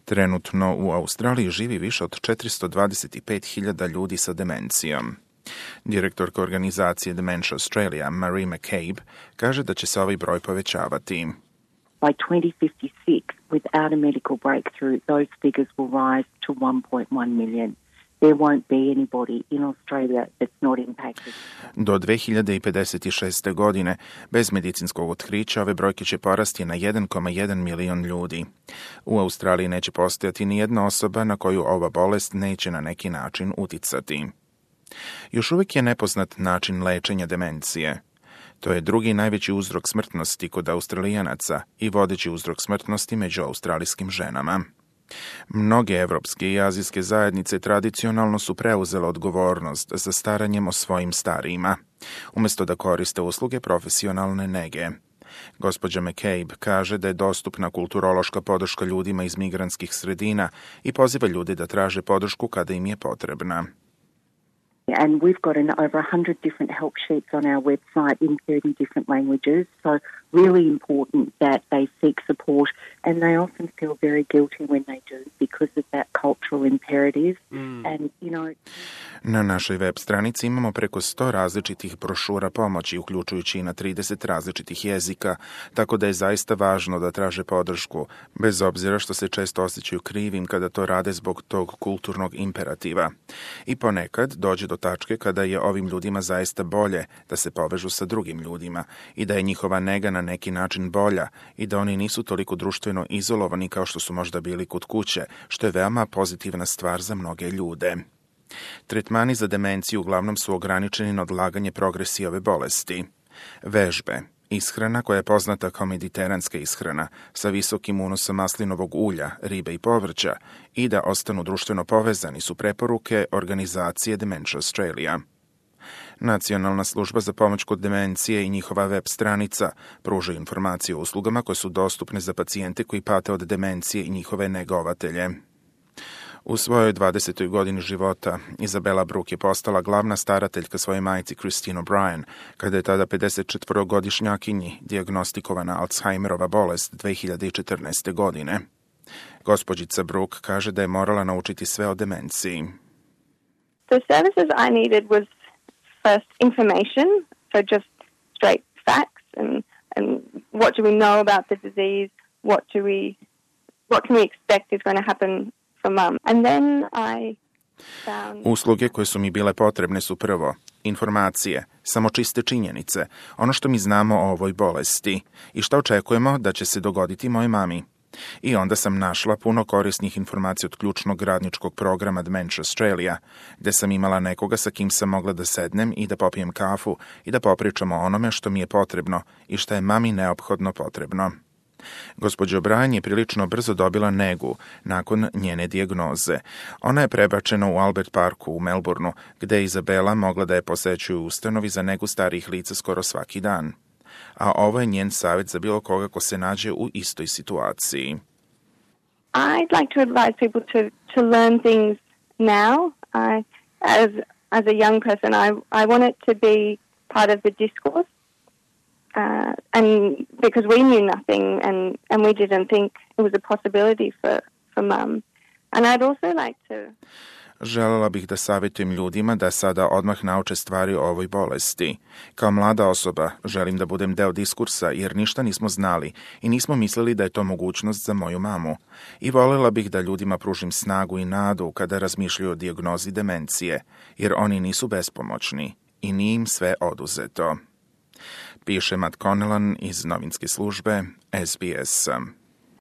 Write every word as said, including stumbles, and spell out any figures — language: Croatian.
Trenutno u Australiji živi više od četiristo dvadeset pet hiljada ljudi sa demencijom. Direktorka organizacije Dementia Australia, Marie McCabe, kaže da će se ovaj broj povećavati. By twenty fifty-six, without a medical breakthrough, those figures will rise to one point one million. There won't be anybody in Australia that's not impacted. Do dve hiljade pedeset šeste. godine, bez medicinskog otkrića, ove brojke će porasti na jedan zarez jedan milion ljudi. U Australiji neće postojati ni jedna osoba na koju ova bolest neće na neki način uticati. Još uvijek je nepoznat način lečenja demencije. To je drugi najveći uzrok smrtnosti kod Australijanaca i vodeći uzrok smrtnosti među australijskim ženama. Mnoge evropske i azijske zajednice tradicionalno su preuzele odgovornost za staranjem o svojim starijima, umjesto da koriste usluge profesionalne nege. Gospođa McCabe kaže da je dostupna kulturološka podrška ljudima iz migrantskih sredina i poziva ljude da traže podršku kada im je potrebna. And we've got an, over one hundred different help sheets on our website in thirty different languages. So really important that they seek support, and they often feel very guilty when they do because of that cultural imperative. Mm. And, you know... Na našoj web stranici imamo preko sto različitih brošura pomoći, uključujući i na trideset različitih jezika, tako da je zaista važno da traže podršku, bez obzira što se često osjećaju krivim kada to rade zbog tog kulturnog imperativa. I ponekad dođe do tačke kada je ovim ljudima zaista bolje da se povežu sa drugim ljudima i da je njihova nega na neki način bolja i da oni nisu toliko društveno izolovani kao što su možda bili kod kuće, što je veoma pozitivna stvar za mnoge ljude. Tretmani za demenciju uglavnom su ograničeni na odlaganje progresije ove bolesti. Vežbe, ishrana koja je poznata kao mediteranska ishrana sa visokim unosom maslinovog ulja, ribe i povrća i da ostanu društveno povezani su preporuke organizacije Dementia Australia. Nacionalna služba za pomoć kod demencije i njihova web stranica pruža informacije o uslugama koje su dostupne za pacijente koji pate od demencije i njihove negovatelje. U svojoj dvadesetoj godini života, Izabela Brooke je postala glavna starateljka svoje majci Christine O'Brien, kada je tada pedesetčetvorogodišnjakinji dijagnostikovana Alzheimerova bolest dve hiljade četrnaeste. godine. Gospođica Brooke kaže da je morala naučiti sve o demenciji. The services I needed was first information, so just straight facts and, and what do we know about the disease, what do we, what can we expect is going to happen for mum. And then I found... Usluge koje su mi bile potrebne su prvo informacije, samo čiste činjenice, ono što mi znamo o ovoj bolesti i što očekujemo da će se dogoditi mojoj mami. I onda sam našla puno korisnih informacija od ključnog radničkog programa Dementia Australia, gde sam imala nekoga sa kim sam mogla da sednem i da popijem kafu i da popričamo o onome što mi je potrebno i što je mami neophodno potrebno. Gospođa O'Brien je prilično brzo dobila negu nakon njene dijagnoze. Ona je prebačena u Albert Parku u Melbourneu, gde je Izabela mogla da je posećuje u ustanovi za negu starijih lica skoro svaki dan. A ovo je njen savjet za bilo koga ko se nađe u istoj situaciji. I'd like to advise people to, to learn things now. I, as, as a young person, I, I want it to be part of the discourse. Uh, and because we knew nothing and, and we didn't think it was a possibility for, for mum. And I'd also like to... Želela bih da savjetujem ljudima da sada odmah nauče stvari o ovoj bolesti. Kao mlada osoba želim da budem deo diskursa jer ništa nismo znali i nismo mislili da je to mogućnost za moju mamu. I voljela bih da ljudima pružim snagu i nadu kada razmišljaju o dijagnozi demencije, jer oni nisu bespomoćni i nije im sve oduzeto. Piše Matt Connellan iz novinske službe S B S.